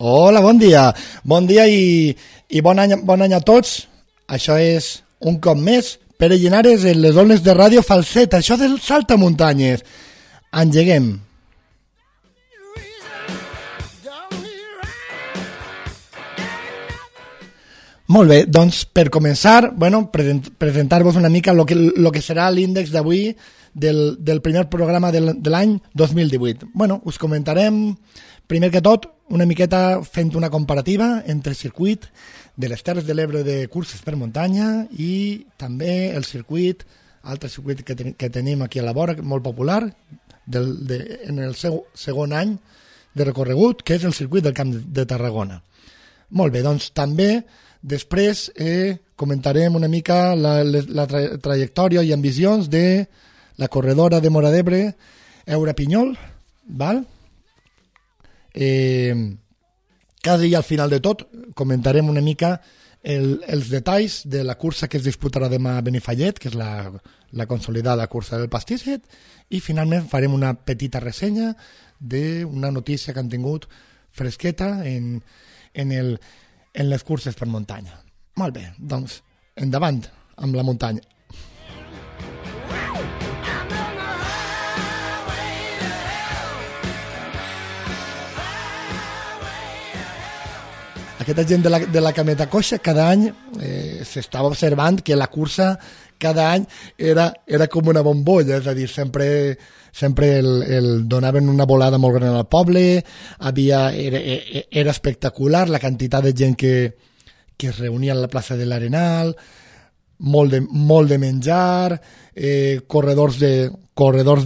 Hola, bon dia. Bon dia i bon any a tots. Això és, un cop més, Pere Llinares en les ones de Ràdio Falset. Això del Saltamuntanyes. Engeguem. Molt bé, doncs per començar, presentar-vos una mica lo que serà l'índex d'avui del primer programa de l'any 2018. Us comentarem, primer que tot, una miqueta fent una comparativa entre el circuit de les Terres de l'Ebre de curses per muntanya i també el circuit, altre circuit que tenim aquí a la vora, molt popular, en el seu segon any de recorregut, que és el circuit del Camp de Tarragona. Molt bé, doncs també després comentarem una mica la trajectòria i ambicions de la corredora de Móra d'Ebre, Eura Pinyol, val? Quasi al final de tot comentarem una mica els detalls de la cursa que es disputarà demà a Benifallet, que és la consolidada cursa del Pastisset, i finalment farem una petita ressenya d'una notícia que han tingut fresqueta en les curses per muntanya. Molt bé, doncs endavant amb la muntanya. Aquesta gent de la cameta coixa cada any s'estava observant que la cursa cada any era com una bombolla, és a dir, sempre el donaven una volada molt gran al poble, era espectacular la quantitat de gent que es reunia a la plaça de l'Arenal, molt de menjar, corredors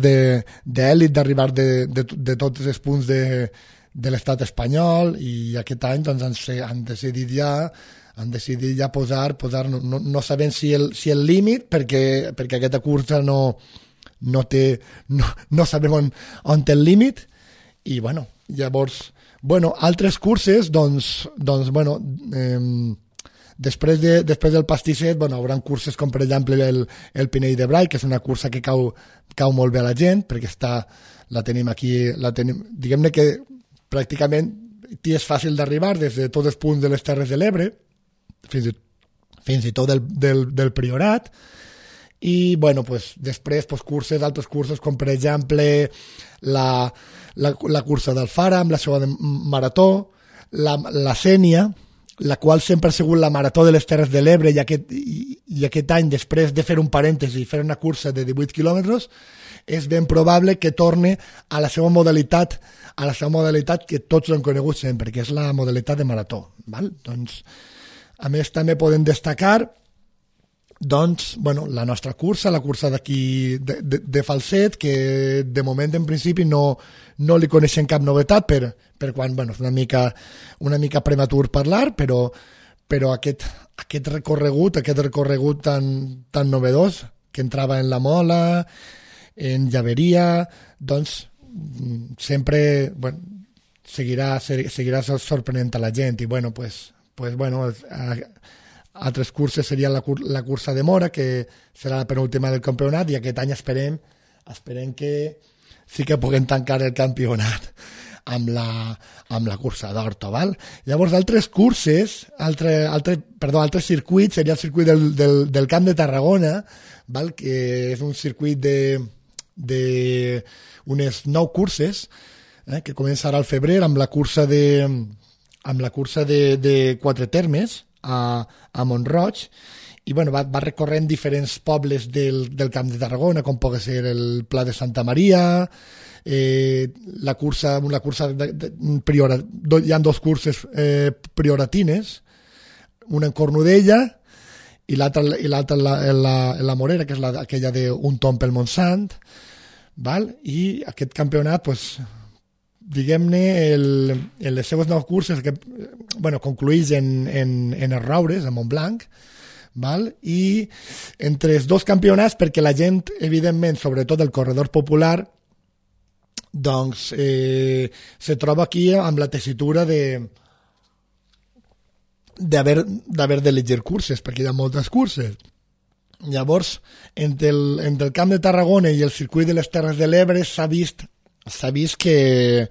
d'èlit d'arribar de tots els punts de l'estat espanyol, i aquest any doncs, han decidit ja posar no sabem si el límit, perquè aquesta cursa no sabem on té el límit, i llavors altres curses després del Pastisset hauran curses com per exemple el Pinell de Brai, que és una cursa que cau molt bé a la gent, perquè la tenim aquí, diguem-ne que pràcticament t'hi és fàcil d'arribar des de tots els punts de les Terres de l'Ebre fins i tot del Priorat, i després altres curses com per exemple la cursa d'Alfara amb la seva marató, la Sénia, la qual sempre ha sigut la marató de les Terres de l'Ebre, i aquest any, després de fer un parèntesi i fer una cursa de 18 quilòmetres, és ben probable que torni a la seva modalitat que tots han conegut sempre, que és la modalitat de marató. Val? Doncs, a més, també podem destacar la nostra cursa, la cursa d'aquí de Falset, que de moment en principi no li coneixem cap novetat, per quan és una mica prematur parlar, però aquest recorregut tan novedós, que entrava en la Mola, en Llaveria, doncs sempre seguirà sorprenent a la gent, i altres curses seria la cursa de Móra, que serà la penúltima del campionat, i aquest any esperem que sí que puguem tancar el campionat amb la cursa d'Horta, val? Llavors, altres curses, altres circuits, seria el circuit del Camp de Tarragona, val? Que és un circuit d'unes 9 curses, que començarà al febrer amb la cursa de 4 termes a Mont-roig, i va recorrent diferents pobles del Camp de Tarragona, com pot ser el Pla de Santa Maria, hi ha 2 curses prioratines, una en Cornudella i l'altra en la Morera, que és aquella d'un tomb pel Montsant, val? I aquest campionat, diguem-ne, en les seves 9 curses concluïx en els Roures, a Montblanc, val? I entre els 2 campionats, perquè la gent, evidentment, sobretot el corredor popular, doncs se troba aquí amb la tessitura d'haver d'elegir curses, perquè hi ha moltes curses. Llavors, entre el Camp de Tarragona i el circuit de les Terres de l'Ebre s'ha vist que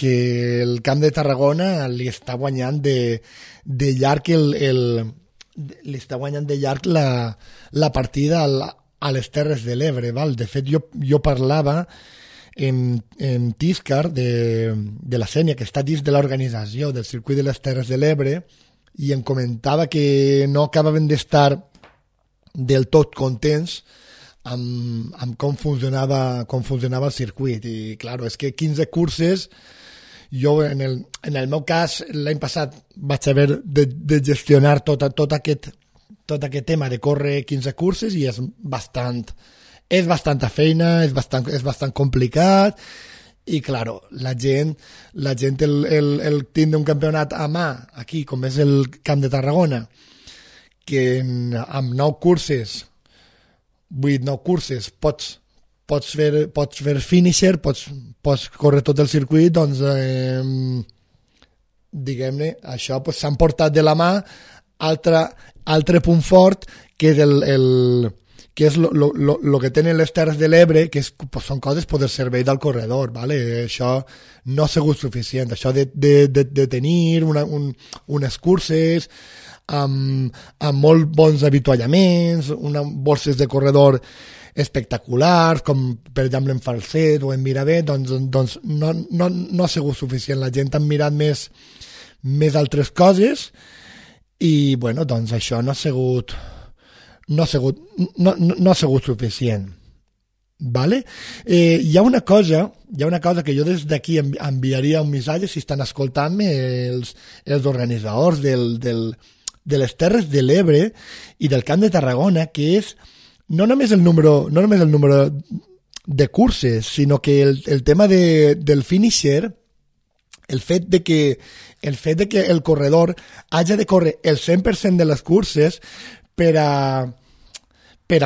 que el Camp de Tarragona li està guanyant de llarg li està guanyant de llarg la partida a les Terres de l'Ebre, val? De fet, jo parlava en Tiscar de la Sénia, que està dins de l'organització del circuit de les Terres de l'Ebre, i em comentava que no acabaven d'estar del tot contents amb com funcionava el circuit. I clar, és que 15 curses, jo en el meu cas l'any passat vaig haver de gestionar tot aquest tema de córrer 15 curses, i és bastanta feina, és bastant complicat, i claro, la gent el tindre un campionat a mà aquí, com és el Camp de Tarragona, que amb 9 curses, 8-9 curses pots fer finisher, pots córrer tot el circuit, doncs diguem-ne, això s'han portat de la mà altre punt fort, que és que és el que tenen les Terres de l'Ebre, que són coses per al servei del corredor, ¿vale? Això no ha sigut suficient, això de tenir unes curses amb molt bons avituallaments, borses de corredor espectaculars, com per exemple en Falset o en Miravet, doncs no ha sigut suficient. La gent ha mirat més altres coses, i bueno, doncs això no ha sigut suficient, vale? Hi ha una cosa que jo des d'aquí enviaria un missatge, si estan escoltant-me els organitzadors de les Terres de l'Ebre i del Camp de Tarragona, que és no només el número de curses, sinó que el tema del finisher, el fet de que el corredor hagi de córrer el 100% de les curses per a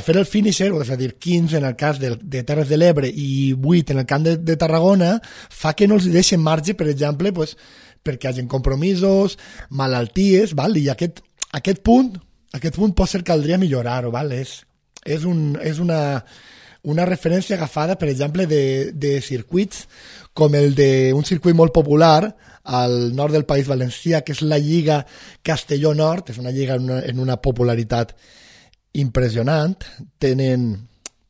fer el finisher, és a dir, 15 en el cas de Terres de l'Ebre i 8 en el Camp de Tarragona, fa que no els deixen marge, per exemple, perquè hagin compromisos, malalties, val? I aquest punt potser caldria millorar-ho, val? És una referència agafada, per exemple, de circuits com el d'un circuit molt popular al nord del País Valencià, que és la Lliga Castelló-Nord, és una lliga en una popularitat impressionant,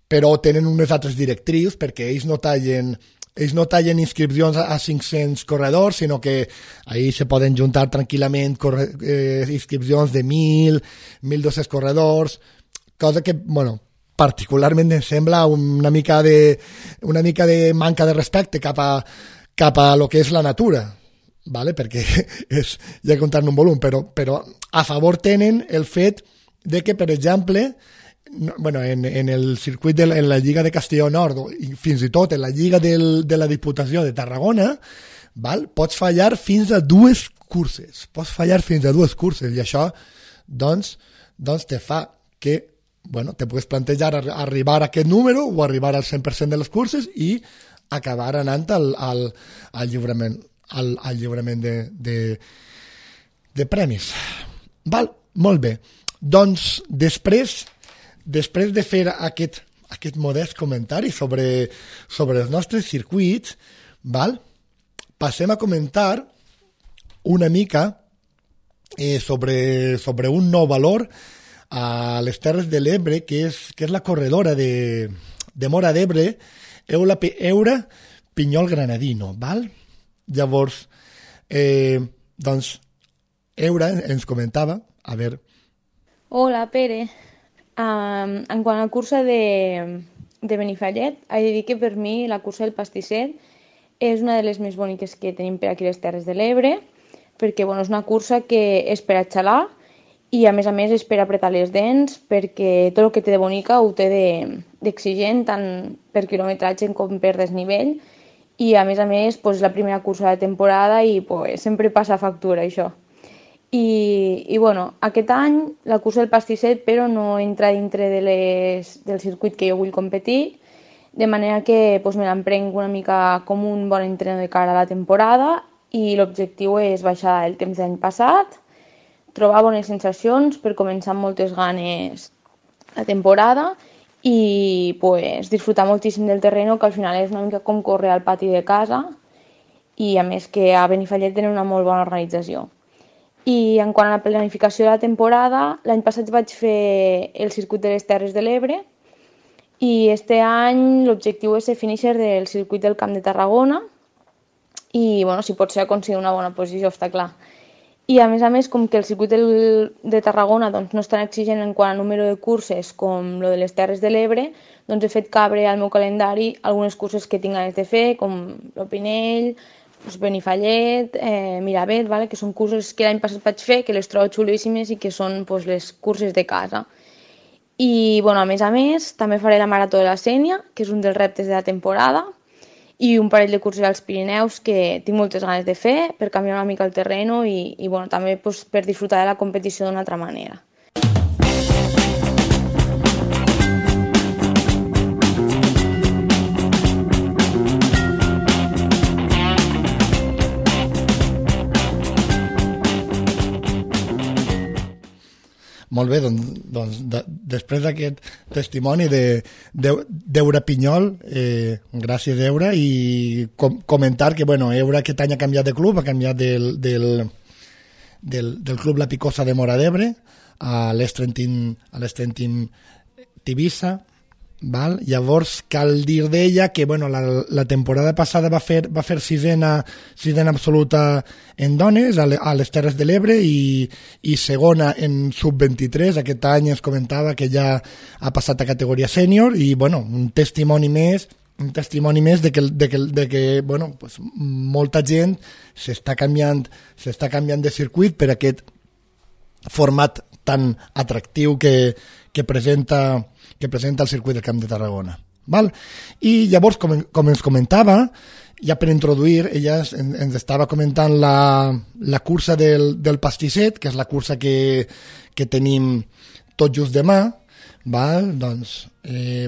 però tenen unes altres directrius, perquè ells no tallen inscripcions a 500 corredors, sinó que ahí se poden juntar tranquil·lament inscripcions de 1.000, 1.200 corredors, cosa que, bueno, particularment em sembla una mica de manca de respecte cap a lo que és la natura, ¿vale? Perquè hi ha que comptar un volum, però a favor tenen el fet de que, per exemple, en el circuit en la Lliga de Castelló Nord, i fins i tot en la Lliga de la Diputació de Tarragona, val? Pots fallar fins a 2 curses. I això doncs te fa que te puguis plantejar arribar a aquest número o arribar al 100% de les curses i acabar anant al lliurament de premis. Val? Molt bé. Doncs després de fer aquest modest comentari sobre els nostres circuits, val? Passem a comentar una mica sobre un nou valor a les Terres de l'Ebre, que és la corredora de Móra d'Ebre, Eura Pinyol Granadino, val? Llavors, doncs, Eura ens comentava, a veure... Hola, Pere. En quant a la cursa de Benifallet, he de dir que per mi la cursa del Pastisset és una de les més boniques que tenim per aquí a les Terres de l'Ebre, perquè és una cursa que és per a xalar i a més és per apretar les dents, perquè tot el que té de bonica ho té d'exigent, tant per quilometratge com per desnivell, i a més és la primera cursa de temporada i sempre passa factura això. I aquest any la cursa del Pastisset però no entra dintre del circuit que jo vull competir, de manera que me l'emprenc una mica com un bon entrenador de cara a la temporada, i l'objectiu és baixar el temps de l'any passat, trobar bones sensacions per començar amb moltes ganes la temporada i disfrutar moltíssim del terreny, que al final és una mica com córrer al pati de casa, i a més que a Benifallet tenen una molt bona organització. I en quant a la planificació de la temporada, l'any passat vaig fer el circuit de les Terres de l'Ebre i este any l'objectiu és ser finisher del circuit del Camp de Tarragona i, bueno, si pot ser aconseguir una bona posició, està clar. I a més, com que el circuit de Tarragona doncs, no és tan exigent en quant a número de curses com el de les Terres de l'Ebre, doncs he fet cabre al meu calendari algunes curses que tinc ganes de fer, com l'Opinell, Benifallet, Miravet, vale? Que són curses que l'any passat vaig fer, que les trobo xulíssimes i que són pues, les curses de casa. I bueno, a més, també faré la Marató de la Sénia, que és un dels reptes de la temporada, i un parell de curses als Pirineus que tinc moltes ganes de fer per canviar una mica el terreno i bueno, també pues, per disfrutar de la competició d'una altra manera. Molt bé, doncs després d'aquest testimoni d'Eura Pinyol, gràcies Eura, i comentar que bueno, Eura aquest any ha canviat de club, ha canviat del club La Picosa de Móra d'Ebre a l'Estrentim Tivissa. Val? Llavors cal dir d'ella que bueno, la temporada passada va fer sisena absoluta en dones a les Terres de l'Ebre i segona en sub-23. Aquest any es comentava que ja ha passat a categoria sènior i bueno, un testimoni més de que bueno, pues, molta gent s'està canviant de circuit per aquest format tan atractiu que presenta el circuit del Camp de Tarragona. Val? I llavors, com ens comentava, ja per introduir, ella ens estava comentant la cursa del pastisset, que és la cursa que tenim tot just demà. Val? Doncs,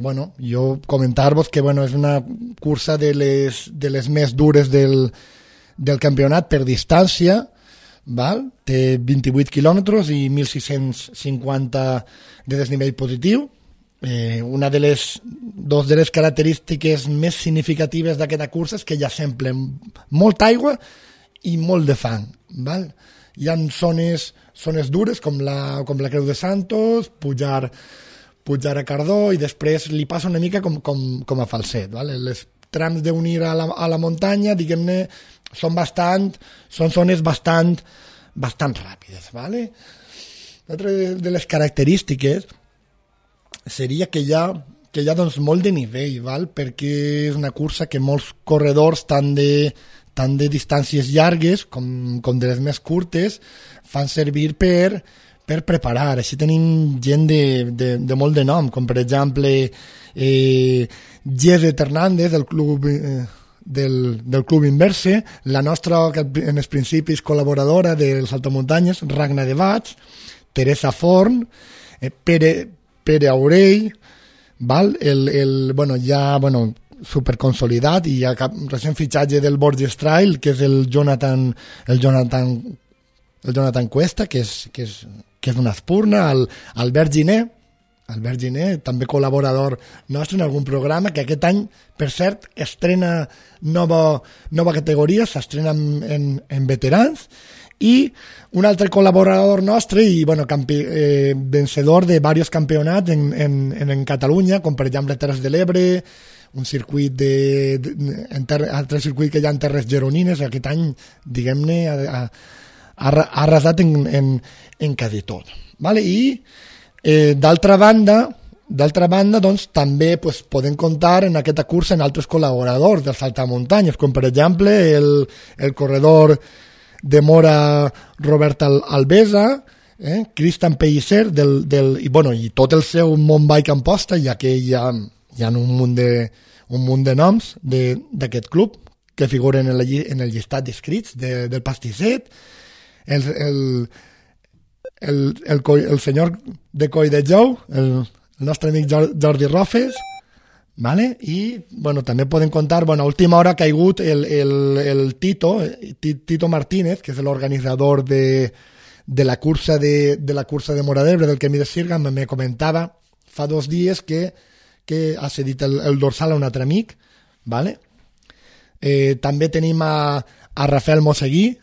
bueno, jo comentar-vos que bueno, és una cursa de les més dures del campionat per distància. Val? Té 28 quilòmetres i 1.650 de desnivell positiu. Una de les característiques més significatives d'aquesta cursa és que ja s'emplen molta aigua i molt de fang. Val? Hi ha zones dures com la Creu de Santos, pujar a Cardó i després li passa una mica com a Falset. Val? Les trams d'unir a la muntanya, diguem-ne, són zones bastant ràpides. Vale? L'altra de les característiques seria que hi ha doncs, molt de nivell, val? Perquè és una cursa que molts corredors, tant de distàncies llargues com de les més curtes, fan servir per preparar. Així tenim gent de molt de nom, com per exemple Geset Hernández del Club Inverse, la nostra, que en els principis col·laboradora dels Saltamuntanyes, Ragna de Bats, Teresa Forn, Pere Aurell, val? Superconsolidat i recent fitxatge del Borges Trail, que és el Jonathan Cuesta, que és una espurna, Albert Giner, també col·laborador nostre en algun programa, que aquest any, per cert, estrena nova categoria, s'estrena en veterans, i un altre col·laborador nostre i bueno, vencedor de diversos campionats en Catalunya, com per exemple Terres de l'Ebre, un circuit altre circuit que hi ha en Terres Gironines. Aquest any, diguem-ne, ha arrasat en quasi tot. Vale? I d'altra banda, doncs, també pues, podem comptar en aquesta cursa en altres col·laboradors dels saltamuntanyes, com per exemple el corredor de Mora Robert Albesa, Cristian Pellicer i tot el seu Mountain Amposta, ja que hi ha un munt de noms d'aquest club que figuren en el llistat d'inscrits del pastisset, el senyor de Coll de Jou, el nostre amic Jordi Rofes, vale? I bueno, també podem contar, a última hora ha caigut el Tito Martínez, que és l'organitzador de la cursa de Móra d'Ebre, del Camí de Sirga. Me comentava fa 2 dies que ha cedit el dorsal a un altre amic, vale? També tenim a a Rafael Mosseguí,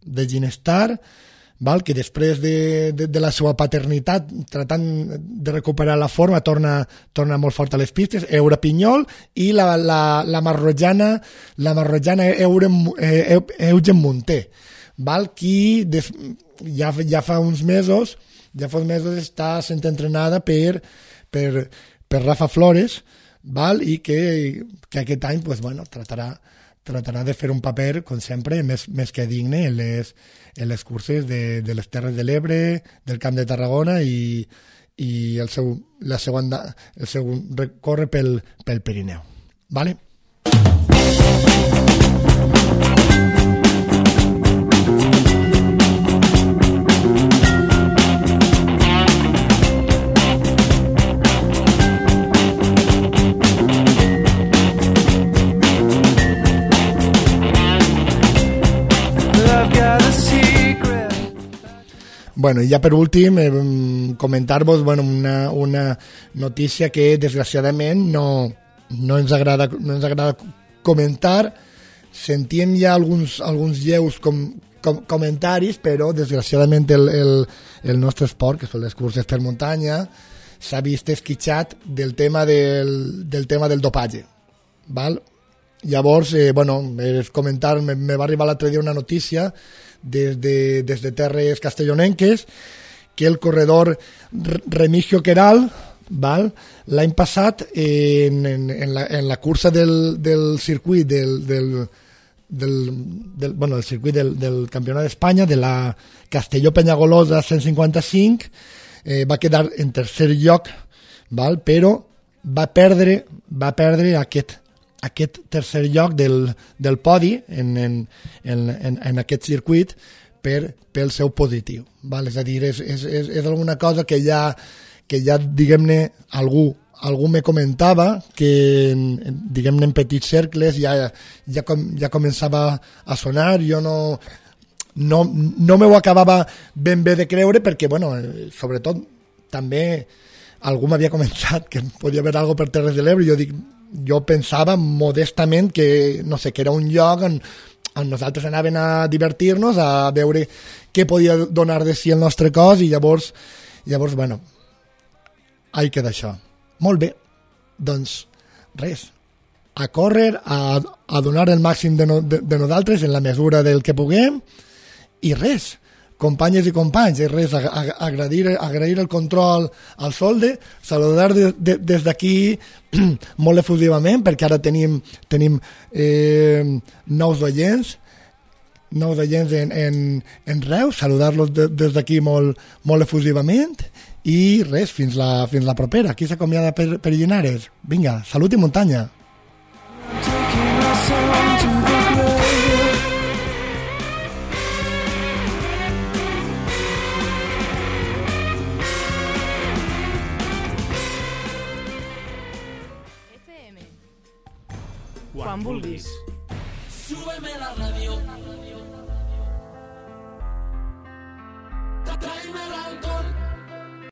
de Ginestar, val? Que després de la seva paternitat, tratant de recuperar la forma, torna molt fort a les pistes, Eure Pinyol, i la marrojana Eugen Munté, val? Qui ja fa uns mesos està sent entrenada per Rafa Flores, val? I que aquest any pues, bueno, tratarà de fer un paper, com sempre, més que digne en les curses de les Terres de l'Ebre, del Camp de Tarragona i el seu recorre pel Pirineu. Vale? Bueno, i ja per últim, comentar-vos una notícia que desgraciadament no ens agrada comentar. Sentíem ja alguns lleus comentaris, però desgraciadament el nostre esport, que són les curses per muntanya, s'ha vist esquitxat del tema del dopatge. Val? Llavors, comentar, me va arribar l'altre dia una notícia des de terres castellonenques que el corredor Remigio Queral, val, l'any passat en la cursa del circuit del circuit del Campionat d'Espanya, de la Castelló-Penyagolosa 155, va quedar en tercer lloc, val, però va perdre aquest tercer lloc del podi en aquest circuit pel seu positiu. Val? És a dir, és alguna cosa que ja diguem-ne, algú me comentava que, diguem-ne, en petits cercles ja començava a sonar. Jo no m'ho acabava ben bé de creure perquè, sobretot, també algú m'havia comentat que podia haver alguna per Terres de l'Ebre. Jo pensava modestament que, no sé, que era un lloc on nosaltres anàvem a divertir-nos, a veure què podia donar de si el nostre cos, i llavors ahí queda això. Molt bé, doncs res, a córrer, a donar el màxim de nosaltres en la mesura del que puguem, i res, companyes i companys, res, agrair el control al Solde, saludar des d'aquí molt efusivament, perquè ara tenim nous oients en Reus, saludar-los des d'aquí molt efusivament, i res, fins la propera. Qui s'acomiada per Llinares? Vinga, salut i muntanya. Quan vulguis. Súbeme la radio. Tráeme el alcohol.